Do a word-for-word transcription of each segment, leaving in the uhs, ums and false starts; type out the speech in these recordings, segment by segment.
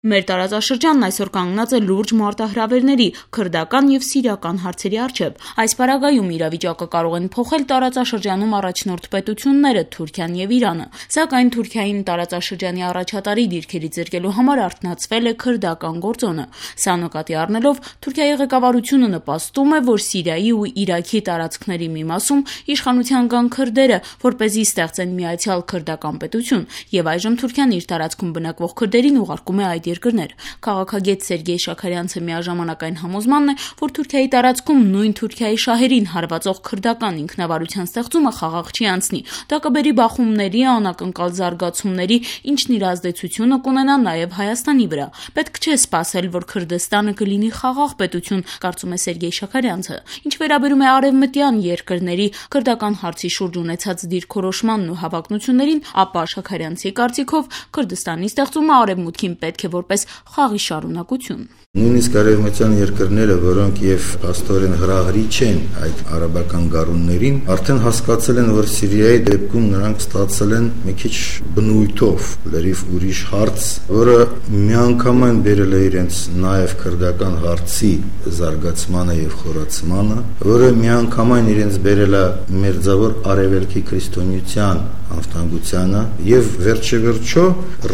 Մեր տարածաշրջանն այսօր կանգնած է լուրջ մարտահրավերների, քրդական եւ սիրիական հարցերի առջեւ։ Այս պարագայում իրավիճակը կարող են փոխել տարածաշրջանում առաջնորդ պետությունները Թուրքիան եւ Իրանը։ Սակայն Թուրքիային տարածաշրջանի առաջատարի դիրքերի զրկելու համար արթնացվել է քրդական գործոնը։ Սա նկատի առնելով Թուրքիայի ղեկավարությունը նպաստում է, որ Սիրիայի ու Իրաքի տարածքների մի մասում իշխանության կան քրդերը, որպեսզի ստեղծեն միացյալ քրդական պետություն, եւ այժմ Թուրքիան իր տարածքում բնակվող քրդերին ուղարկում է այդ երկրներ։ Քաղաքագետ Սերգեյ Շաքարյանցը միաժամանակ այն համոզմանն է, որ Թուրքիայի տարածքում նույն Թուրքիայի շահերին հարվածող քրդական ինքնավարության ստեղծումը խաղաղ չի անցնի։ Դա կբերի բախումների, անակնկալ զարգացումների, ինչն իր ազդեցությունը կունենա նաև Հայաստանի վրա։ Պետք չէ սպասել, որ Քրդստանը կլինի խաղաղ պետություն, կարծում է Սերգեյ Շաքարյանցը։ Ինչ վերաբերում է արևմտյան երկրների քրդական հարցի շուրջ ունեցած դիրքորոշմանն ու հավակնություններին, ապա Շաքարյանցի կարծիքով Քրդստանի ստեղծումը արևմուտքին պետք է որպես խաղի շարունակություն։ Նույնիսկ արևմտյան երկրները, որոնք եւ աստորեն հրահրի չեն այդ արաբական գարուններին, արդեն հասկացել են, որ Սիրիայի դեպքում նրանք ստացել են մի քիչ բնույթով լրիվ ուրիշ հարց, որը միանգամայն բերել է իրենց նաեւ քրդական հարցի զարգացմանը եւ խորացմանը, որը միանգամայն իրենց բերել է մերձավոր արևելքի քրիստոնեության անվտանգությանը եւ վերջեվերջո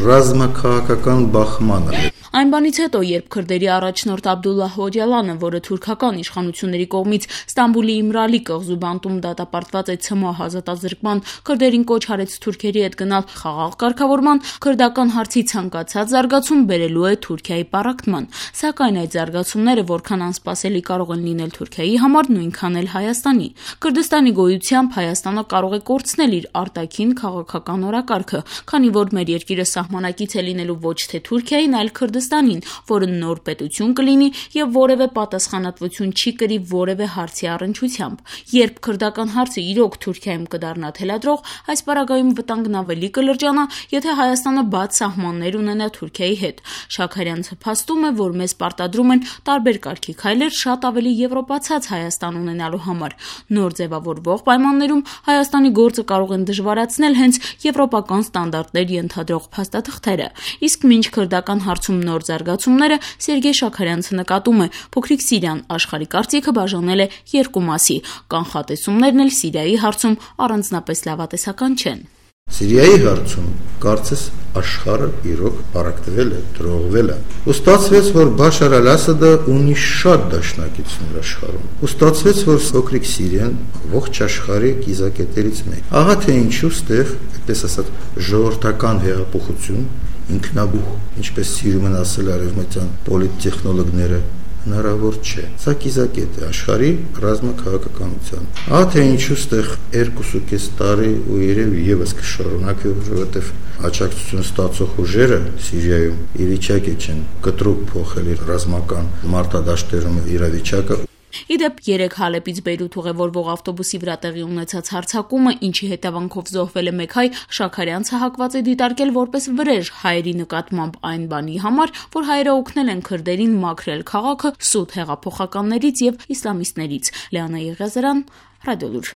ռազմաքաղաքական բախմանը։ Այն բանից հետո, երբ քրդերի առաջնորդ Աբդուլլահ Օջալանը, որը թուրքական իշխանությունների կողմից Ստամբուլի Իմրալի կղզու բանտում դատապարտված է ցմահ ազատազրկման, քրդերին կոչ արեց թուրքերի հետ գնալ խաղաղ կարգավորման, քրդական հարցի ցանկացած զարգացում բերելու է Թուրքիայի պառակտման։ Սակայն այդ զարգացումները որքան անսպասելի կարող են լինել Թուրքիայի համար, նույնքան էլ Հայաստանի։ Քրդստանի գոյությամբ Հայաստանը կարող է կորցնել իր արտաքին քաղաքական օրակարգը, քանի որ մեր երկիրը սահմանակից է լինելու ոչ թե Թուրքիային, այլ Քրդստանին, որը նոր պետություն կլինի եւ որևէ պատասխանատվություն չի կրի որևէ հարցի առնչությամբ։ Երբ քրդական հարցը իրոք Թուրքիայում կդառնա թելադրող, այս պարագայում վտանգն ավելի կլրջանա, եթե Հայաստանը բաց սահմաններ ունենա Թուրքիայի հետ։ Շաքարյանցը փաստում է, որ մեզ պարտադրում են տարբեր կարգի քայլեր շատ ավելի եվրոպացած Հայաստան ունենալու համար։ Նոր ձևավորվող պայմաններում Հայաստանի գործը կարող են դժվարացնել հենց եվրոպական ստանդարտներ ենթադրող փաստաթղթերը։ Իսկ մինչ քրդական հարցում նոր զարգացումները, Սերգեյ Շաքարյանցը նկատում է, փոքրիկ Սիրիան աշխարհի կարծիքը բաժանել է երկու մասի։ Կանխատեսումներն էլ Սիրիայի հարցում առանձնապես լավատեսական չեն։ Սիրիայի հարցում կարծես աշխարհը իրոք պարակտվել է, տրողվել է։ Ու ստացվեց, որ Բաշար al-Ասադը ունի շատ դաշնակիցներ աշխարհում։ Ու ստացվեց, որ փոքրիկ Սիրիան ողջ աշխարհի կիզակետերից մեկն է։ Ահա թե ինչու ստեղ, այդպես ասած, ժողովրդական հեղափոխություն, ինքնաբուխ, ինչպես սիրում են ասել արևմտյան պոլիտտեխնոլոգները, հնարավոր չէ։ Սա կիզակետ է աշխարհի ռազմաքաղաքականության։ Ահա թե ինչու ստեղ երկու կես տարի ու երևի եւս կշարունակի, որովհետեւ աջակցություն ստացող ուժերը Սիրիայում ի վիճակի չեն կտրուկ փոխել իր ռազմական մարտադաշտերում իրավիճակը։ Իդեպ երեք Հալեպից Բեյրութ ուղևորվող ավտոբուսի վրա տեղի ունեցած հարձակումը, ինչի հետևանքով զոհվել է մեկ հայ, Շաքարյանցը հակված է դիտարկել որպես վրեժ հայերի նկատմամբ այն բանի համար, որ հայերը օգնել են քրդերին մաքրել քաղաքը սուտ հեղափոխականներից եւ իսլամիստներից։ Լեանա Եղիազարյան, Ռադիոլուր։